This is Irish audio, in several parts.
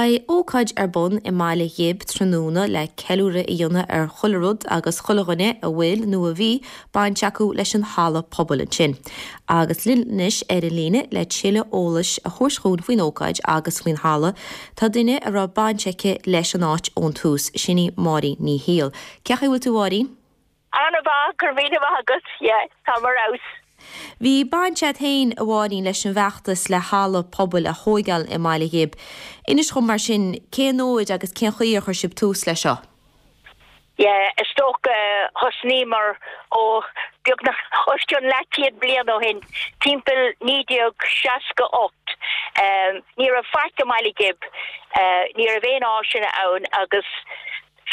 Beidh ócáid ar bun i mBaile Ghib tráthnóna le ceiliúradh a dhéanamh ar chuile rud agus chuile dhuine a bhfuil nó a bhí baint acu leis an halla pobail ansin. Agus linn anois ar an líne le tuilleadh eolais a thabhairt chugainn faoin ócáid agus faoin halla, tá duine a raibh baint aici leis an áit ón tús, sin í Máirín Ní Shiail. Cén chaoi a bhfuil tú a Mháirín? An-mhaith, go raibh míle maith agat, yeah, táim ar fheabhas. Bhí baint agat féin, a Mháirín, leis an bhfeachtas le halla pobail a thóigeáil i mBaile Ghib. Inis dhom mar sin, cén uair agus cén chaoi ar chuir sibh tús leis seo? Yeah, is dócha thosnaíomar ó beagnach os cionn leathchéad bliain ó shin, timpeall 1968. Ní raibh faic i mBaile Ghib, ní raibh aon áiseanna ann agus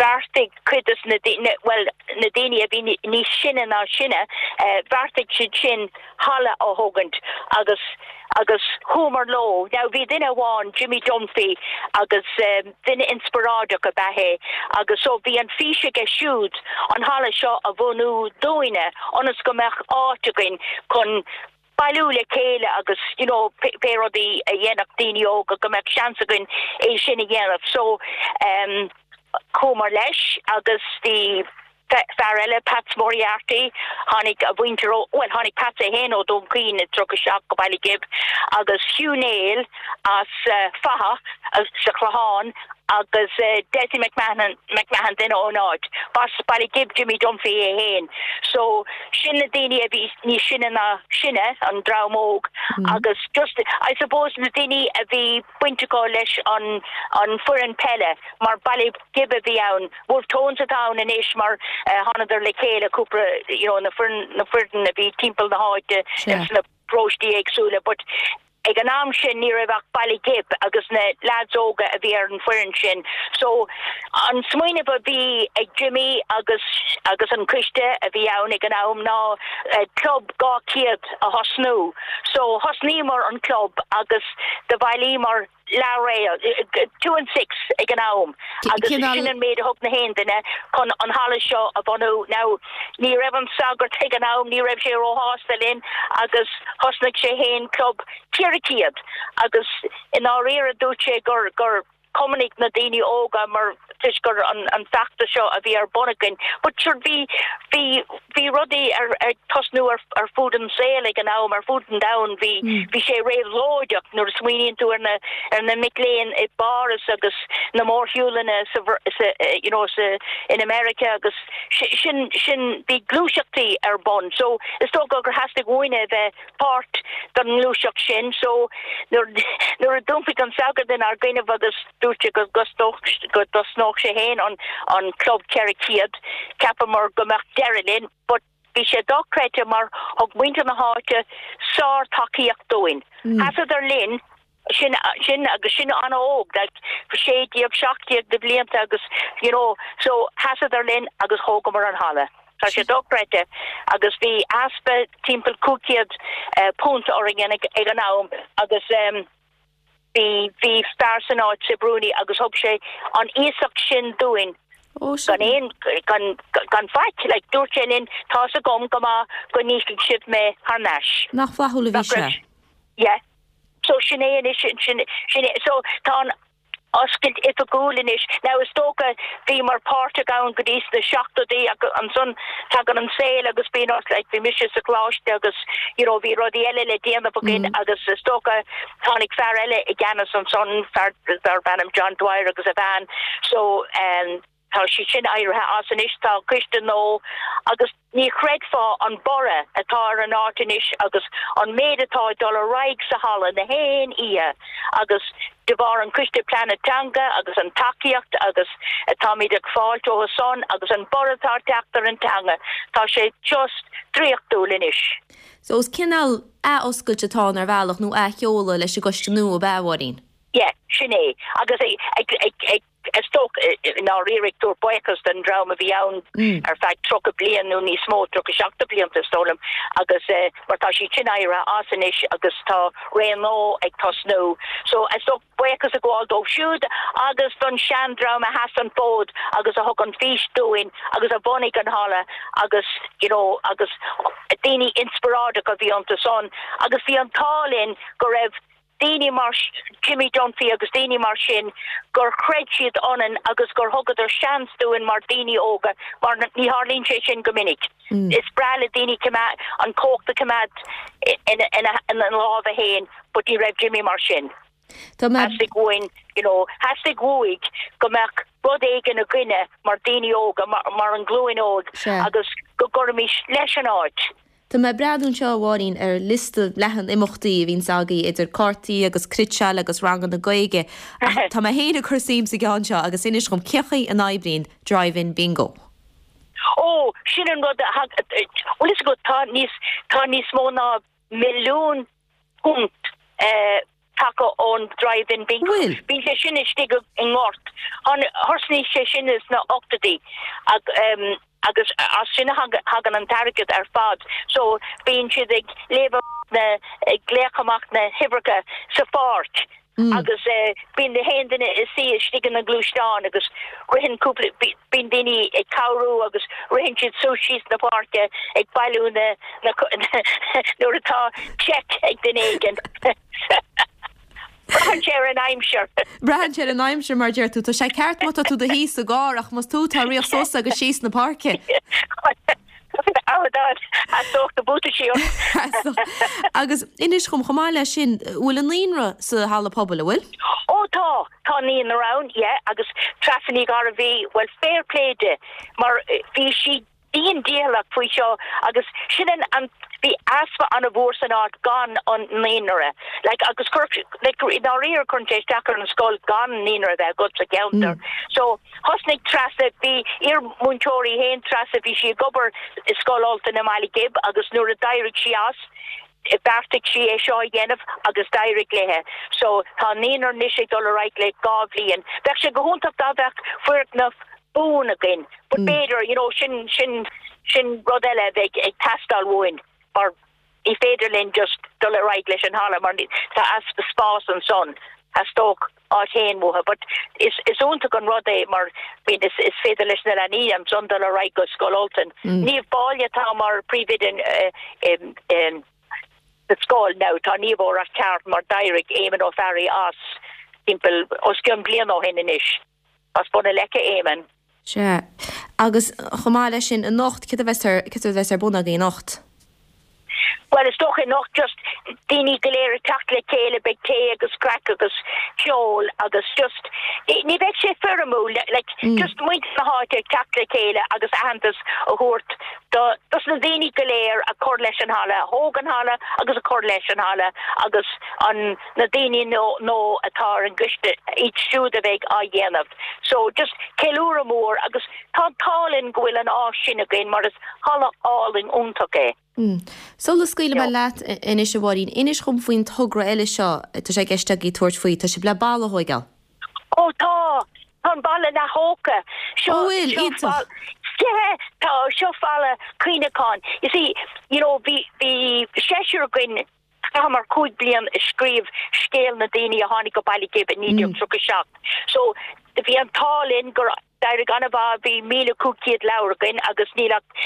Bheartaigh cuid de na daoine, bhuel, na daoine a bhí níos sine ná sinne, bheartaigh siad sin halla a thógaint agus, agus chuamar leo. Now bhí duine amháin, Jimmy Dunphy, agus duine inspioráideach ab ea é agus so bhí an fís aige siúd an halla seo a bhunú dúinne ionas go mbeadh áit againn chun bailiú le chéile agus you know pé rudaí a dhéanfadh daoine óga go mbeadh seans againn é sin a dhéanamh. So ehm chuamar leis agus bhí fear eile, Pats Moriarty, tháinig a mhuintir ó, bhuel tháinig Pats é féin ó Dún Chaoin i 37 go Baile Ghib agus Hugh Neill as Fatha sa Chlochán agus Dessie McMahon, McMahon duine ón áit. B'as Baile Ghib Jimmy Dunphy é féin. So sin na daoine a bhí níos sine ná sinne, an dream óg, agus just, I suppose na daoine a bhí baint acu leis an an foireann peile mar Baile Ghib a bhí ann, Wolfe Tones atá ann anois mar thánadar le chéile cúpla, you know, na foireann, na foireann a bhí timpeall na háite ins na paróistí éagsúla but ag an am sin ní raibh ach Baile Ghib agus na leaids óga a bhí ar an foireann sin so an smaoineamh a bhí ag Jimmy agus agus an coiste a bhí ann ag an am ná club 200 a thosnú so thosnaíomar an club agus do bhailíomar leathréal, two and six ag an am agus sin an méid a thug na haon duine chun an halla seo a bhunú. Now ní raibh an sagart ag an am, ní raibh sé róshásta linn agus thosnaigh sé fhéin club 400 agus i ndáiríre dúirt sé gur gur cumannaigh na daoine óga mar toisc gur an an feachtas seo a bhí ar bun againn. But sure bhí bhí Bhí rudaí ag tosnú ar fud an saoil ag an am, ar fud an domhain. Bhí bhí sé réabhlóideach nuair a smaoiníonn tú ar na ar na mic léinn i bPáras agus na mórshiúlanna sa sa you know sa in America agus sin sin bhí gluaiseachtaí ar bun. So is dócha gur theastaigh uainne a bheith páirt den ngluaiseacht sin. So nuair nuair a d'iompaigh an sagart inár gcoinnibh agus dúirt sé go go dtosnódh sé féin an an club 400, cheapamar go mbeadh deireadh linn but bhí sé dochreidte mar thug muintir na háite sár-tacaíocht dúinn. Sheasadar linn sin sin agus sinn an-óg, like 16, 17 de bhlianta agus you know so sheasadar linn agus thógamar an halla. Tá sé dochreidte agus bhí easpa timpeall £500 orainn ag an am agus bhí bhí fear san áit Sib Rooney agus thug sé an iasacht sin dúinn gan aon gan gan faic like dúirt sé linn tá's agam go maith go n-íocfaidh sibh mé thar n-ais. Nach flaithiúil a bhí sé? Yeah. So sin é anois, sin, sin é, so tá an oscailt oifigiúil anois. Now is dócha bhíomar páirteach ann go dtí sna seachtóidí ach ansan tagann an saol agus bíonn ort, like bhí mise sa choláiste agus you know bhí rudaí eile le déanamh againn agus is dócha tháinig fear eile i gceannas ansan, fear darb ainm John Dwyer agus a bhean so um, Tá siad sin éirithe as anois, tá coiste nua agus ní chreidfeá an borradh atá ar an áit anois agus an méid atá ag dul ar aghaidh sa halla na haon oíche agus de bharr an coiste pleanála teanga agus an tacaíocht agus atáimid ag fáilt ó san agus an borradh atá ag teacht ar an teanga, tá sé just draíochtúil anois. So is cineál ath-oscailt atá ann ar bhealach nó ath-sheoladh leis an gcoiste nua ab ea, a Mháirín? Yeah, sin é. Agus ag, ag, ag, is dócha, i ndáiríre ag tabhairt buíochas don dream a bhí ann ar feadh 30 bliain nó níos mó, 37 blianta is dóigh liom, agus mar tá siad sin éirithe as anois agus tá ré nua ag tosnú. So is dócha buíochas a ghabháil dóibh siúd agus don seandream a sheas an fód agus a thug an fís dúinn agus a bhunaigh an halla agus you know agus daoine inspioráideacha a bhí iontu san agus bhí an t-ádh linn go raibh. daoine mar Jimmy Dunphy agus daoine mar sin gur chreid siad ionainn agus gur thugadar seans dúinn mar daoine óga mar ní tharlaíonn sé sin go minic. Is breá le daoine an cumhacht a choimeád ina lámha féin but ní raibh Jimmy mar sin. Theastaigh uainn, you know, theastaigh uaidh go mbeadh rud éigin againne mar daoine óga, mar an ghlúin óg agus go gcuirfimis leis an áit. Tá mé ag breathnú anseo, a Mháirín, ar liosta leathan imeachtaí a bhíonns agaibh, idir cártaí agus cniotáil agus ranganna Gaeilge, ach tá mé féin ag cur suim sa gceann seo agus inis dhom cén chaoi a n-oibríonn Drive-In Bingo? Ó, sin an rud a thag, bhfuil fhios agat, tá níos, tá níos mó ná £1,000,000 tagtha ón Drive-In Bingo. Bhfuil? Bíonn sé sin istigh i ngort. Thosnaigh sé sin sna ochtóidí agus as sin a thagann an t-airgead ar fad. So bíonn siad ag léamh na, ag glaoch amach na huimhreacha sa pháirc agus bíonn na haon duine ina suí istigh ina ngluaisteán agus ritheann cúpla, bíonn daoine ag cabhrú agus ritheann siad suas síos na páirce ag bailiú na, nuair atá check ag duine éigin. Braitheann sé ar an aimsir. Braitheann sé ar an aimsir, mar a deir tú. Tá sé ceart má tá tú i do shuí sa gcarr ach más tú atá ag rith suas agus síos na páirce. Theastódh na buataisí ort. Agus inis dhom, chomh maith leis sin, bhfuil an naíonra sa halla pobail, an bhfuil? Ó tá, tá naíonra ann, yeah, agus Treasa Ní Ghairbhí, bhuel fair play di, mar bhí sí dian dícheallach faoi seo agus sin an, an, bhí easpa an-mhór san áit gan an naíonra, like agus chuir, like i ndáiríre cuireann sé isteach ar an scoil gan naíonra a bheith agat sa cheantar. So thosnaigh Treasa, bhí iar-mhúinteoir í féin Treasa, bhí sí ag obair i Scoil Ultain i mBaile Ghib agus nuair a d'éirigh sí as, bheartaigh sí é seo a dhéanamh agus d'éirigh léithe. So tá an naíonra anois ag dul ar aghaidh le 2 bhliain. Bheadh sé go hiontach dá mbeadh foirgneamh buan againn but b'fhéidir, you know, sin, sin, sin rud eile a bheidh ag teastáil uainn mar ní féidir linn just dul ar aghaidh leis an halla mar tá easpa spás ansan. Theastódh áit fhéin uathu but is is iontach an rud é mar bíonn is is féidir leis na leanaí ansan dul ar aghaidh go Scoil Ultain. Niamh Báille atá mar príomhoide in sa scoil now tá Niamh ó Rath Cearc mar d'éirigh Éamonn Ó Fearraigh as timpeall os cionn bliain ó shin anois. As Bun na Leice Éamonn. Sea. Agus chomh maith leis sin, anocht, céard a bheas ar, céard a bheas ar bun agaibh anocht? Bhuel, is dócha anocht just daoine go léir ag teacht le chéile, beidh tae agus craic agus ceol agus just, ní bheidh sé foirmiúil, like, just muintir na háite ag teacht le chéile agus aitheantas a thabhairt do, dos na daoine go léir a chur leis an halla, a thóg an halla agus a chur leis an halla agus an, na daoine nó atá ar an gcoiste, iad siúd a bheidh á dhéanamh. So just ceiliúradh mór agus tá an t-ádh linn go bhfuil an áis sin againn mar is halla álainn iontach é. Sula scaoilfidh mé leat anois a Mháirín, inis dhom faoin togra eile seo atá sé i gceist agaibh tabhairt faoi, tá sibh le balla a thóigeáil. Ó tá! Tá an balla leath thógtha. Seo, Ó bhfuil? seo Iontach. Yeah, tá, seo falla cuimhneacháin. You see, you know, bhí, bhí seisear againn Chaitheamar 5 bliain ag scríobh scéal na daoine a tháinig go Baile Ghib i 1937. So bhí an t-ádh linn gur d'éirigh an-mhaith, bhí 1,500 leabhar againn agus níl ach,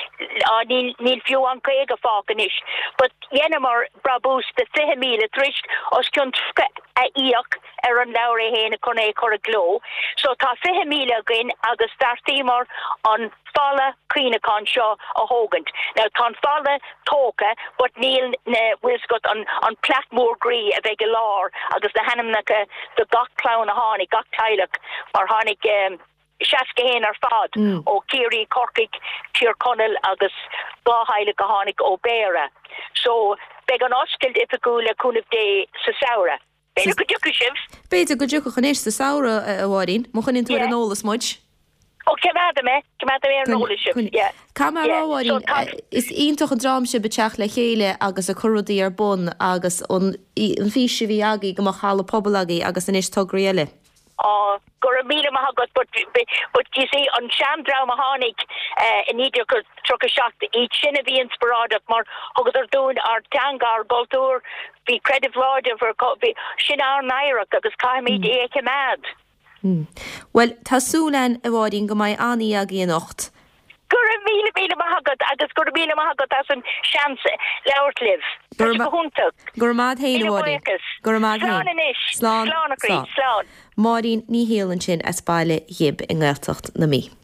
á, níl, níl fiú an 50 fágtha anois. But dheineamar brabús de 20,000 tar éis os cionn 30 a íoc ar an leabhar é féin chun é a chur i gcló. So tá 20,000 againn agus bheartaíomar an falla cuimhneacháin seo a thógaint. Now tá an falla tógtha but níl na, bhfuil 's agat, an, an plaic mór groí a bheidh i lár agus na hainmneacha do gach clann a tháinig, gach teaghlach mar tháinig 61 ar fad ó Ciarraí, Corcaigh, Tír Chonaill agus 2 theaghlach a tháinig ó Béarra. So beidh an oscailt oifigiúil le cúnamh Dé sa samhradh. B'fhéidir go dtiocfaidh sibh. B'fhéidir go dtiocfadh anois sa samhradh, a Mháirín, má choinníonn tú ar an eolas muid. Ó, coimeádfaidh mé, coimeádfaidh mé ar an eolas sibh, yeah. Caithfidh mé a rá, a Mháirín, is iontach an dream sibh ag teacht le chéile agus ag cur rudaí ar bun agus an fhís a bhí agaibh go mbeadh halla pobail agaibh agus anois tograí eile. Á, go raibh míle maith agat, but, but you see, an seandream a tháinig i 1937, iad sin a bhí inspioráideach mar thugadar dúinn ár dteanga, ár gcultúr, bhí creideamh láidir, bhí, sin ár n-oidhreacht agus caithfimid é a choimeád. Bhuel, tá súil againn, a Mháirín, go mbeidh an-oíche agaibh anocht. Go raibh. raibh míle míle maith agat agus go raibh míle maith agat as an seans labhairt libh. Tá sé go hiontach. Go raibh maith agat féin, a Míle Mháirín. buíochas. Go raibh maith agat Slán féin. anois. Slán. Slán a chroí. Slán. Slán. Máirín Ní Shiail ansin as Baile Ghib i nGaeltacht na Mí.